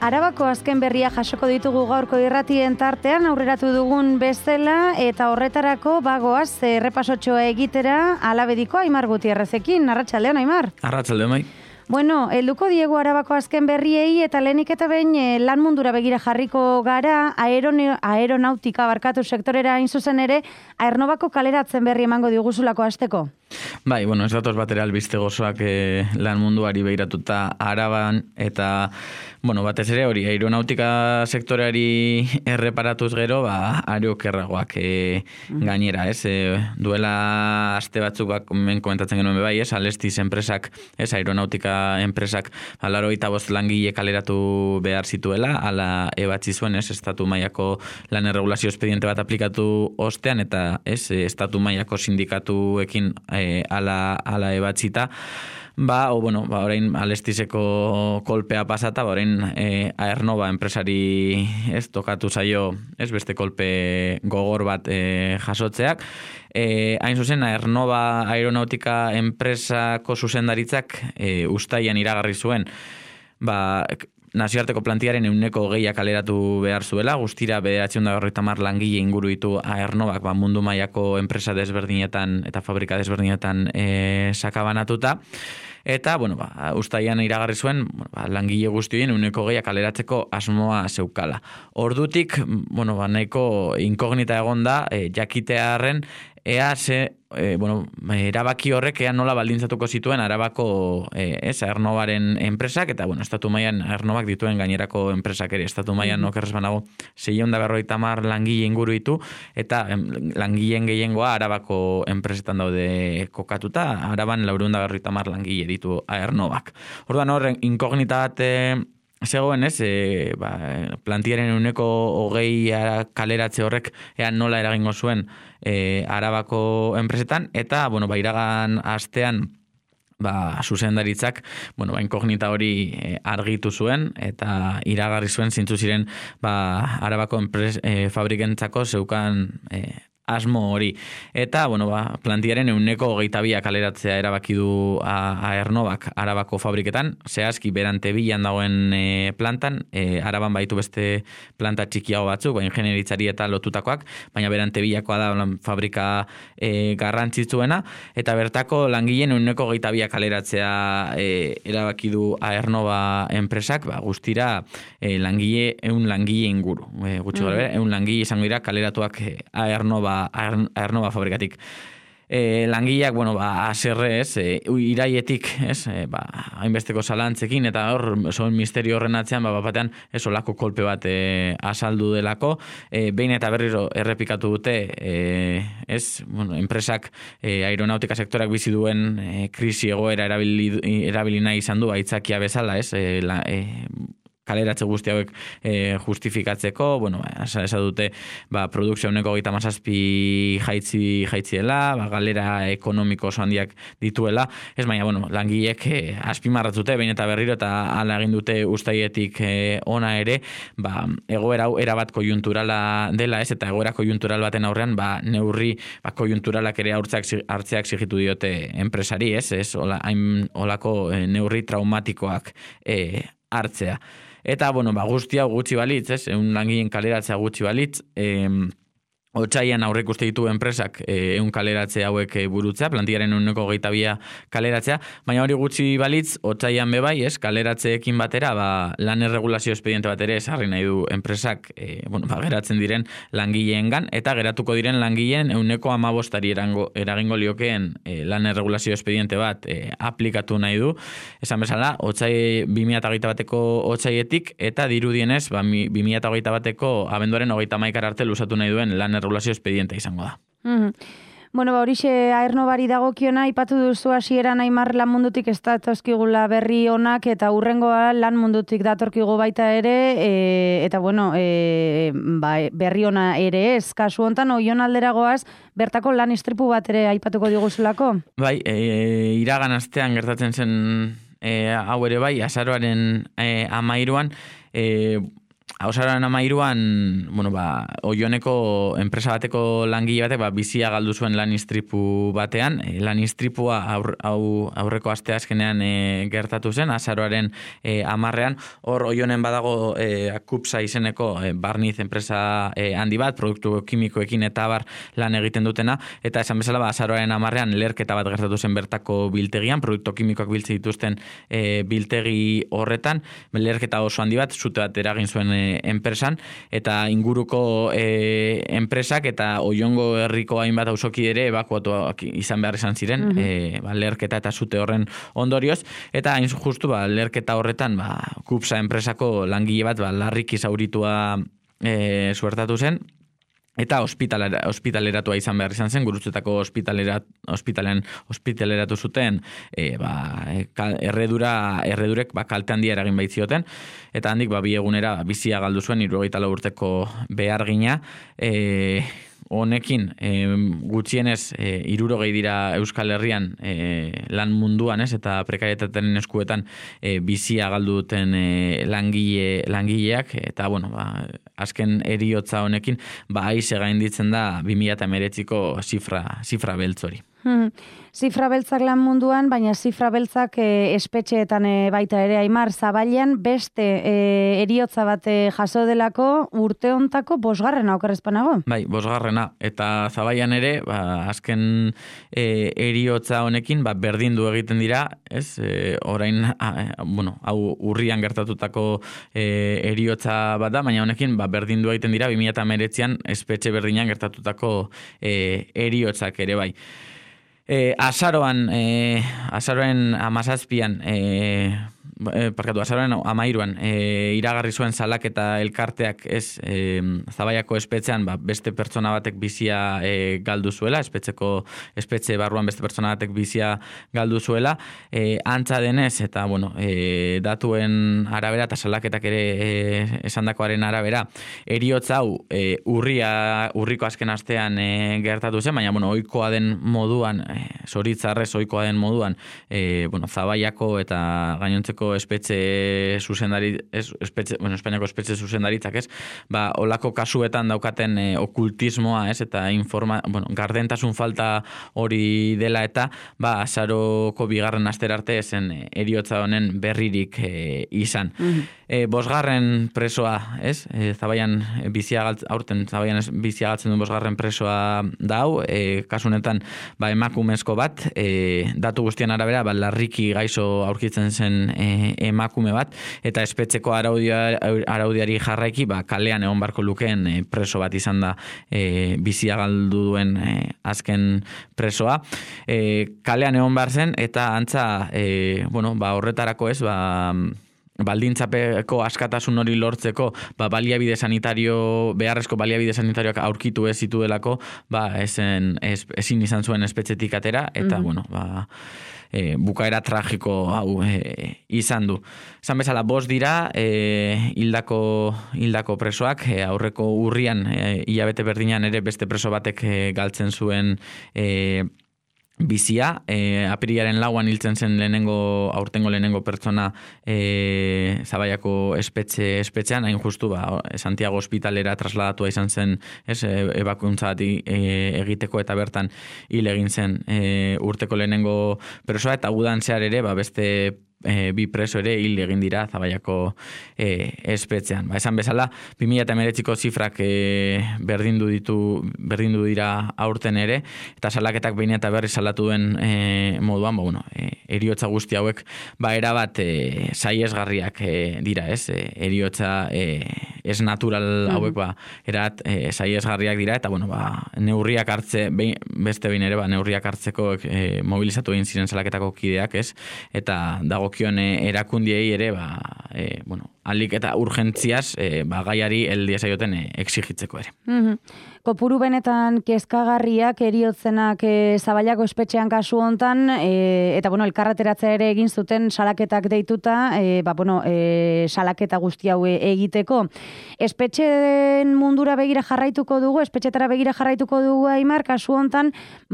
Arabako azken berria jasoko ditugu gaurko irratien tartean aurreratu dugun bezala eta horretarako bagoaz errepasotxoa egitera Alabediko Aimar Gutierrezekin. Arratsaldeon, Aimar. Arratsaldeon, bai. Bueno, helduko diegu Arabako azken berriei eta lehenik eta behin lan mundura begira jarriko gara, aeronautika barkatu sektorera hain zuzen ere, Aernnovako kaleratzen berri emango diguzulako hasteko. Bai, bueno, ez datoz batera albiste gozoak lan munduari behiratuta Araban eta, bueno, batez ere hori, aeronautika sektoreari erreparatuz gero, aerokerragoak gainera, ez? Duela aste batzuk komentatzen genuen bai, ez? Alestis enpresak, ez? Aeronautika enpresak, 85 langile kaleratu behar zituela, ala ebatzi zuen, ez? Estatu mailako lan erregulazio espediente bat aplikatu ostean, eta, ez? Estatu mailako sindikatuekin ala ebatzita, orain Alestiseko kolpea pasata, orain Aernova enpresari ez tokatu zaio, ez beste kolpe gogor bat jasotzeak. Hain zuzen, Aernova aeronautika enpresako zuzendaritzak uztailean iragarri zuen, nazioarteko plantiaren 20% kaleratu behar zuela, guztira 950 langile inguru ditu Aernovak mundu mailako enpresa desberdinetan eta fabrika desberdinetan sakabanatuta. Eta, uztailean iragarri zuen, langile guztien 20% kaleratzeko asmoa zeukala. Ordutik, nahiko inkognita egonda, jakitearren, erabaki horrek nola baldintzatuko zituen Arabako Aernovaren enpresak, eta estatu mailan Aernovak dituen gainerako enpresak ere, estatu mailan okerrez banago 650 langile inguru ditu, eta langileen gehiengoa Arabako enpresetan daude kokatuta, Araban 450 langile ditu Aernovak. Orduan horren inkognita bat zegoen, ez, plantiaren 20% kaleratze horrek nola eragingo zuen Arabako enpresetan, eta, iragan astean, zuzendaritzak, inkognita hori argitu zuen, eta iragarri zuen zintzu ziren, Arabako fabrikentzako zeukan asmo hori. Eta, plantiaren 20% kaleratzea erabaki du Aernovak Arabako fabriketan, zehazki berante bilan dagoen plantan, Araban baitu beste planta txikiago batzuk, ingenieritzari eta lotutakoak, baina berante bilakoa da fabrika garrantzitsuena, eta bertako langileen 20% kaleratzea erabaki du Aernova enpresak, guztira langile inguru. Gutxi gara, 100 langile izango dira kaleratuak Aernova fabrikatik. Langileak, aserre, ez, iraietik, ez, hainbesteko zalantzekin, eta hor, misterio horren atzean, batean, ez olako kolpe bat azaldu delako, behin eta berriro errepikatu dute, enpresak, aeronautika sektorak bizi duen krisi egoera erabili nahi izan du, aitzakia bezala, ez, kaleratze guzti hauek justifikatzeko, esan dute, produkzio 37 jaitziela, galera ekonomiko oso handiak dituela, ez baina, langileek azpimarratzute, behin eta berriro, eta hala egin dute uztailetik ona ere, egoera hau erabat kojunturala dela, ez, eta egoera kojuntural baten aurrean, neurri kojunturalak ere hartzeak zigitu diote enpresari, ez, olako neurri traumatikoak hartzea. Eta, guzti hau gutxi balitz, ez, langileen kaleratzea gutxi balitz, Otsailean aurrek uste ditu enpresak kaleratze hauek burutzea, plantiaren 20% kaleratzea, baina hori gutxi balitz, otsailean bebai, ez, kaleratzeekin batera, lan erregulazio espediente bat ere esarri nahi du enpresak, geratzen diren langileengan, eta geratuko diren langileen 15% eragingo liokeen lan erregulazio espediente bat aplikatu nahi du, esan bezala, 2021ko otsailetik, eta dirudienez, 2021ko abenduaren 31 arte luzatu nahi duen lan erregulazio espediente izango da. Horixe Aernovari dagokiona, aipatu duzu hasieran Aimar lan mundutik ez datozkigula berri onak, eta hurrengoa lan mundutik datorkigu baita ere, eta berri ona ere ez. Kasu hontan, Oion alderagoaz, bertako lan istripu bat ere aipatuko diguzulako? Bai, iragan astean gertatzen zen hau ere bai, azaroaren 13an, Azaroaren 13an, Oioneko enpresa bateko langile batek bizia galdu zuen lan istripu batean. Lan istripua aurreko asteazkenean gertatu zen, azaroaren 10ean. Hor Oionen badago Kupsa izeneko barniz enpresa handi bat, produktu kimikoekin eta bar lan egiten dutena, eta esan bezala azaroaren 10ean leherketa bat gertatu zen bertako biltegian, produktu kimikoak biltzen dituzten biltegi horretan, leherketa oso handi bat, zute bat eragin zuen enpresan, eta inguruko enpresak eta Oiongo herriko hainbat auzoki ere ebakuatuak izan behar izan ziren, leherketa eta zute horren ondorioz, eta hain justu leherketa horretan Kupsa enpresako langile bat larriki zauritua suertatu zen, eta ospitaleratua izan behar izan zen, Gurutzetako ospitalean ospitaleratu zuten erredurek kalte handia eragin baitzioten, eta handik bi egunera bizia galdu zuen 74 urteko behargina. Honekin gutxienez 60 dira Euskal Herrian lan munduan, eta prekarietatearen eskuetan bizia galdu duten langileak, eta azken heriotza honekin aize gainditzen da 2019ko zifra beltzori. Zifra beltzak lan munduan, baina zifra beltzak espetxeetan baita ere, Aimar, Zabailean beste heriotza bat jaso delako urte hontako 5. okerrezpanago? Bai, 5. Eta Zabailean ere, azken heriotza honekin, berdindu egiten dira, ez? Orain, hau urrian gertatutako heriotza bat da, baina honekin berdindu egiten dira 2019an espetxe berdinan gertatutako heriotzak ere bai. Azaroaren 17an, azaroaren 13an iragarri zuen salaketa elkarteak Zabaiako espetxean beste pertsona batek bizia galdu zuela, espetxe barruan beste pertsona batek bizia galdu zuela, antza denez eta datuen arabera eta salaketak ere esandakoaren arabera, heriotza hau urriko azken astean gertatu zen, baina ohikoa den moduan, zoritzarrez ohikoa den moduan, Zabaiako eta gainontzeko Espainiako espetxe zuzendaritzak, olako kasuetan daukaten okultismoa, eta gardentasun falta hori dela, eta azaroko 2. astera arte zen heriotza honen berririk izan. 5. presoa, Zabaian bizia galtzen duen 5. presoa dau, kasunetan emakumezko bat, datu guztien arabera larriki gaixo aurkitzen zen emakume bat, eta espetxeko araudiari jarraiki kalean egon barko lukeen preso bat izan da bizia galdu duen azken presoa. Kalean egon behar zen, eta antza horretarako baldintzapeko askatasun hori lortzeko baliabide sanitario, beharrezko baliabide sanitarioak aurkitu ez zituelako, ezin izan zuen espetxetik atera, eta bukaera tragiko hau izan du. Esan bezala 5 dira hildako presoak, aurreko urrian hilabete berdinan ere beste preso batek galtzen zuen bizia, apirilaren 4an hiltzen zen aurtengo lehenengo pertsona Zabaiako espetxean, hain justu Santiago ospitalera trasladatua izan zen, ebakuntza bat egiteko, eta bertan hil egin zen urteko lehenengo presoa, eta udan zehar ere beste 2 preso ere hil egin dira Zabaiako espetxean. Esan bezala, 2019ko zifrak berdindu dira aurten ere, eta salaketak behin eta berri salatu duen moduan, heriotza guzti hauek erabat saiesgarriak dira, heriotza ez natural hauek erat saiesgarriak dira, eta neurriak hartze, beste behin ere neurriak hartzeko mobilizatu egin ziren salaketako kideak, eta dagokion erakundiei ere alik eta urgentziaz gaiari heldia zaioten exigitzeko ere. Kopuru benetan kezkagarriak heriotzenak Zabaiako espetxean kasu hontan, eta elkarreteratzea ere egin zuten salaketak deituta, salaketa guzti hau egiteko. espetxeen mundura begira jarraituko dugu, espetxetara begira jarraituko dugu, Aimar, kasu hontan,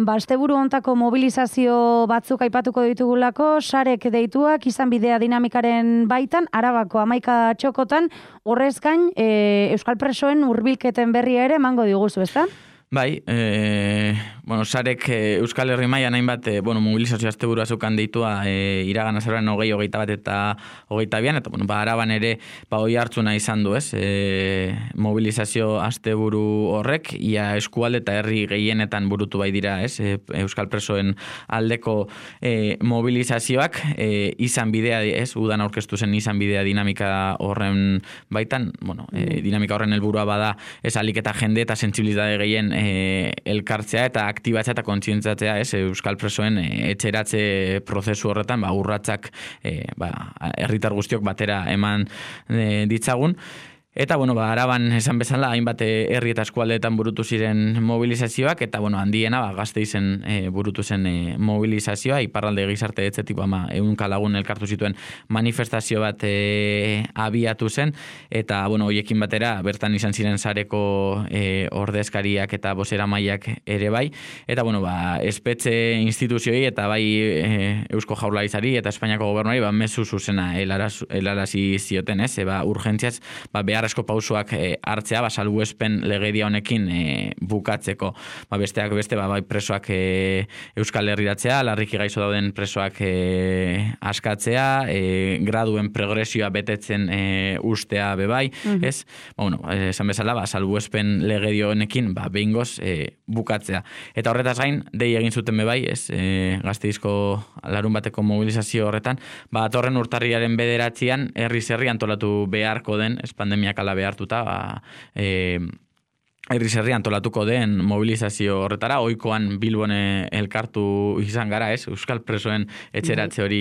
asteburu hontako mobilizazio batzuk aipatuko ditugulako, sarek deituak, izan bidea dinamikaren baitan, Arabako 11 txokotan, horrez gain, euskal presoen hurbilketen berria ere emango diguzu, ezta? Bai, sarek Euskal Herri mailan hainbat mobilizazio asteburua zeukan deitua iragan azaroan 20, 21 eta 22, eta Araban ere hoi hartzuna izan du, ez? Mobilizazio asteburu horrek, ia eskualde eta herri gehienetan burutu bai dira, ez? Euskal presoen aldeko mobilizazioak izan bidea, ez? Udan aurkeztu zen izan bidea dinamika horren baitan, dinamika horren helburua bada, ez alik eta jende eta sentsibilitate gehien elkartzea eta aktibatzea eta kontzientzatzea, ez, euskal presoen etxeratze prozesu horretan, urratsak herritar guztiok batera eman ditzagun. Eta, Araban esan bezala, hainbat herri eta eskualdeetan burutu ziren mobilizazioak, eta, handiena, Gasteizen burutu zen mobilizazioa, iparralde gizarte etzetik, 100 lagun elkartu zituen manifestazio bat abiatu zen, eta, hoiekin batera, bertan izan ziren sareko ordezkariak eta bozeramaileak ere bai, eta, espetxe instituzioi eta bai Eusko Jaurlaritzari eta Espainiako gobernuari, mezu zuzena helarazi zioten, ez, urgentziaz, beharrezko pausoak hartzea, salbuespen legedia honekin bukatzeko. Besteak beste, bai presoak Euskal Herriratzea, larriki gaixo dauden presoak askatzea, graduen progresioa betetzen ustea bebai, ez? Esan bezala, salbuespen legedia honekin, behingoz bukatzea. Eta horretaz gain, dei egin zuten bebai, ez? Gasteizko larun bateko mobilizazio horretan, atorren urtarriaren 9 herri antolatu beharko den, ez pandemiak ala behartuta, herriz herri antolatuko den mobilizazio horretara, ohikoan Bilbon elkartu izan gara, ez, euskal presoen etxeratze hori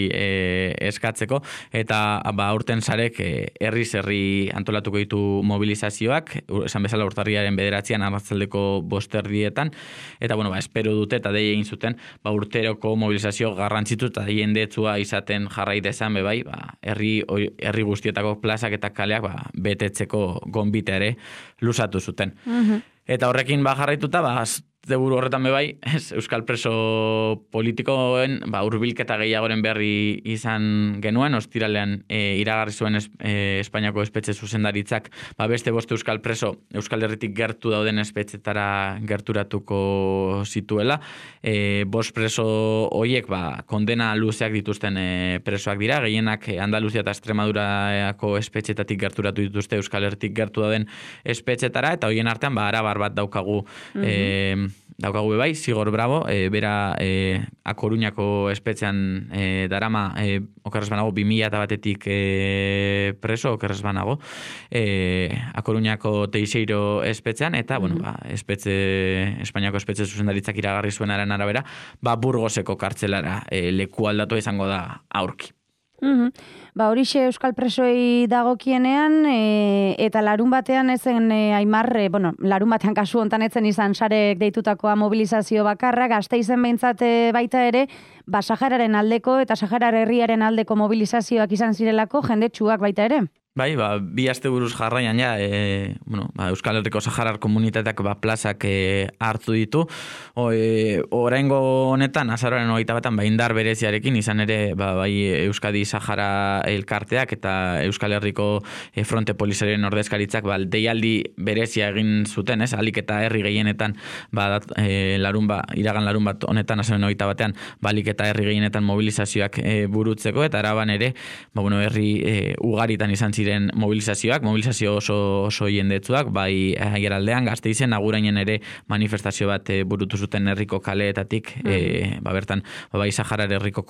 eskatzeko, eta aurten sarek herriz herri antolatuko ditu mobilizazioak, esan bezala urtarriaren 9 arratsaldeko 5:00, eta espero dute eta dei egin zuten, urteroko mobilizazio garrantzitu eta jendetsua izaten jarrai dezan bebai, herri guztietako plazak eta kaleak betetzeko gonbite ere luzatu zuten. Eta horrekin jarraituta, asteburu horretan bebai, euskal preso politikoen hurbilketa gehiagoren berri izan genuen, ostiralean iragarri zuen Espainiako espetxe zuzendaritzak, beste 5 euskal preso Euskal Herritik gertu dauden espetxetara gerturatuko zituela. 5 preso horiek kondena luzeak dituzten presoak dira, gehienak Andaluzia eta Extremadurako espetxetatik gerturatu dituzte Euskal Herritik gertu dauden espetxetara, eta horien artean arabar bat daukagu bebai, Zigor Bravo, bera A Coruñako espetxean darama, okerrez banago, 2001-tik preso, okerrez banago, A Coruñako Teixeiro espetxean, eta, Espainiako espetxe zuzendaritzak iragarri zuenaren arabera, Burgoseko kartzelara leku aldatu izango da aurki. Horixe euskal presoei dagokienean, eta larun batean ezen Aimar, larun batean kasu hontan etzen izan sarek deitutakoa mobilizazio bakarra, Gasteizen behintzat baita ere, Sahararen aldeko eta Sahara herriaren aldeko mobilizazioak izan zirelako jendetsuak baita ere. Bai, 2 asteburuz jarraian Euskal Herriko Saharar komunitateak plazak hartu ditu. Oraingo honetan, azaroaren 21 indar bereziarekin, izan ere Euskadi Sahara elkarteak eta Euskal Herriko Fronte Polisarioen ordezkaritzak deialdi berezia egin zuten, ez? Alik eta herri gehienetan iragan larun bat honetan, azaroaren 21, alik eta herri gehienetan mobilizazioak burutzeko, eta Araban ere, herri ugaritan izan ziren mobilizazio oso jendetsuak, bai Aiaraldean, Gasteizen, Agurainen ere manifestazio bat burutu zuten herriko kaleetatik, bertan, Saharar herriko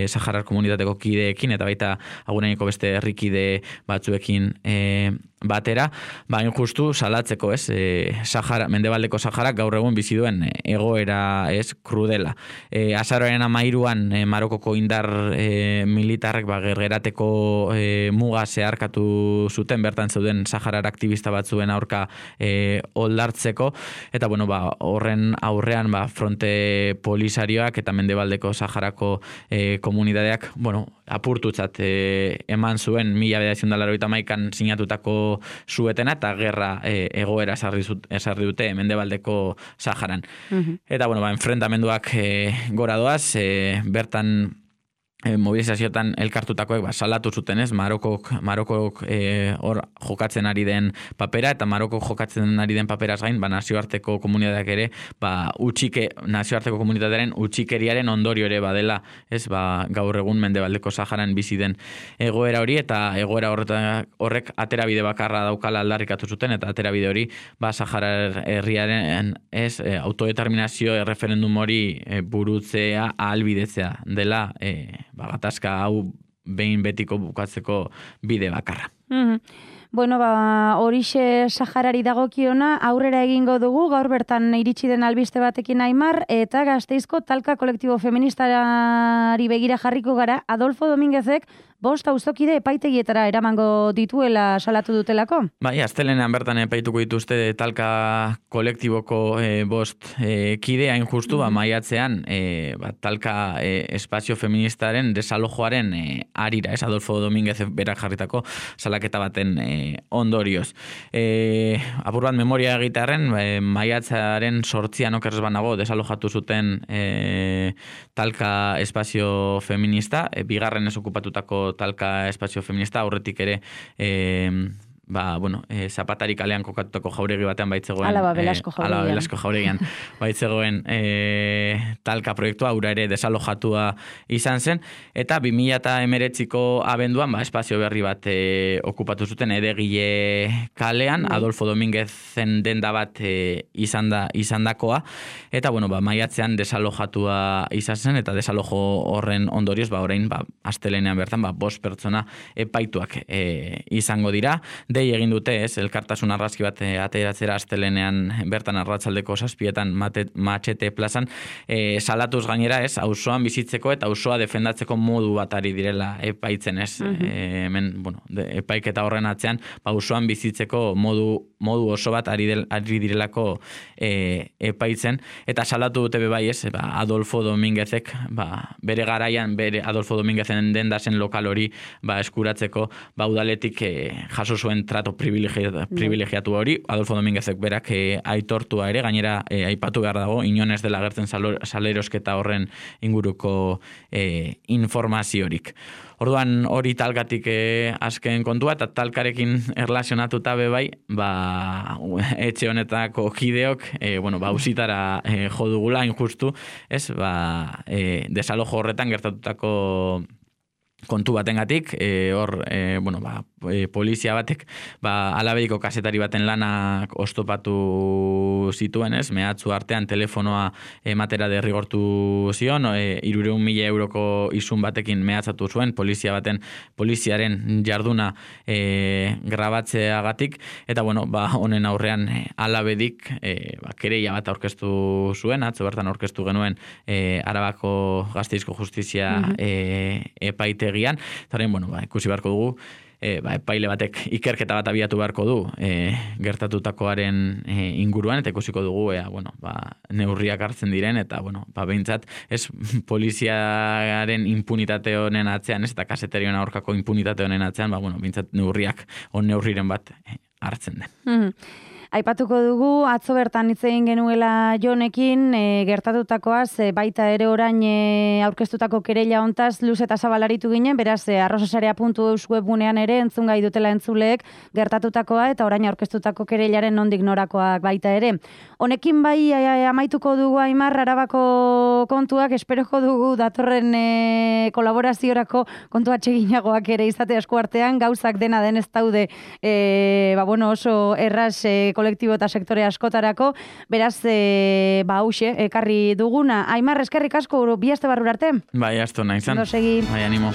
Saharar komunitateko kideekin, eta baita Aguraineko beste herrikide batzuekin batera, justu salatzeko, ez, Mendebaldeko Saharak gaur egun bizi duen egoera, ez, krudela. Azaroaren 13 Marokoko indar militarrek gergerateko muga zeharkatu zuten, bertan zeuden Saharar aktivista batzuen aurka oldartzeko, eta horren aurrean Fronte Polisarioak eta Mendebaldeko Saharako komunitateak apurtutzat eman zuen 1981an sinatutako zuetena eta gerra egoera esarri dute Mendebaldeko Saharan. Eta, bueno, enfrentamenduak gora doaz, bertan mobilizazioetan elkartutakoek salatu zuten, ez? Marokok hor jokatzen ari den papera, eta Marokok jokatzen ari den paperaz gain, nazioarteko komunitateak ere, nazioarteko komunitatearen utxikeriaren ondorio ere badela, ez? Gaur egun Mendebaldeko Saharan bizi den egoera hori, eta egoera horrek aterabide bakarra daukala aldarrikatu zuten, eta aterabide hori Sahara herriaren autodeterminazio referendum hori burutzea ahalbidetzea dela gatazka hau behin betiko bukatzeko bide bakarra. Bueno, horixe Saharari dagokiona aurrera egingo dugu, gaur bertan iritsi den albiste batekin Aimar, eta Gasteizko talka kolektibo feministari begira jarriko gara, Adolfo Dominguezek 5 auzokide epaitegietara eramango dituela salatu dutelako? Bai, astelenean bertan epaituko dituzte talka kolektiboko 5 kide, hain justu, maiatzean talka espazio feministaren desalojoaren arira, ez? Adolfo Dominguez berak jarritako salaketa baten ondorioz. Apur bat memoria egitearen, maiatzaren 8an okerrez banago desalojatu zuten talka espazio feminista, bigarren ez okupatutako talka espazio feminista, aurretik ere Zapatari kalean kokatutako jauregi batean baitzegoen Alaba Belasko jauregian baitzegoen talka proiektua, ura ere desalojatua izan zen, eta 2019ko abenduan espazio berri bat okupatu zuten Edegile kalean, Adolfo Dominguezen denda bat izandakoa, eta maiatzean desalojatua izan zen, eta desalojo horren ondorioz orain astelenean bertan 5 pertsona epaituak izango dira. Dei egin dute, elkartasun argazki bat ateratzera astelenean bertan arratsaldeko 7etan Matxete plazan, salatuz gainera, auzoan bizitzeko eta auzoa defendatzeko modu bat ari direla epaitzen, hemen, epaiketa horren atzean, auzoan bizitzeko modu oso bat ari direlako epaitzen, eta salatu dute bai, Adolfo Dominguezek, bere garaian, Adolfo Dominguezen dendazen lokal hori eskuratzeko udaletik jaso zuen trato privilegiatu hori, Adolfo Dominguezek berak aitortua ere, gainera aipatu behar dago, inon ez dela agertzen salerosketa horren inguruko informaziorik. Orduan hori talkatik azken kontua, eta talkarekin erlazionatuta bai, etxe honetako kideok, ausitara jo dugula, injustu, desalojo horretan gertatutako kontu batengatik, polizia batek Alabediko kazetari baten lanak oztopatu zituen, mehatzu artean telefonoa ematera derrigortu zion, 300.000 euroko izun batekin mehatzatu zuen poliziaren jarduna grabatzeagatik, eta honen aurrean Alabedik kereia bat aurkeztu zuen, atzo bertan aurkeztu genuen Arabako Gasteizko Justizia epaitegian, eta ikusi beharko dugu, epaile batek ikerketa bat abiatu beharko du gertatutakoaren inguruan, eta ikusiko dugu neurriak hartzen diren, eta behintzat poliziaren impunitate honen atzean, eta kasetarioen aurkako impunitate honen atzean, behintzat neurriren bat hartzen den. Aipatuko dugu, atzo bertan hitz egin genuela Jonekin, gertatutakoaz, baita ere orain aurkeztutako kereila hontaz luz eta zabalaritu ginen, beraz, arrosasarea.eus webgunean ere entzun gai dutela entzuleek gertatutakoa, eta orain aurkeztutako kereilaren nondik norakoak baita ere. Honekin bai amaituko dugu Aimar Arabako kontuak, esperoko dugu datorren kolaboraziorako kontu atseginagoak ere izate esku artean, gauzak dena denez daude oso erraz kolektibo eta sektore askotarako, beraz, hauxe, ekarri duguna. Aimar, eskerrik asko, bi aste barrura arte? Bai, asto nahi zan. Ondo segi. Bai, animo.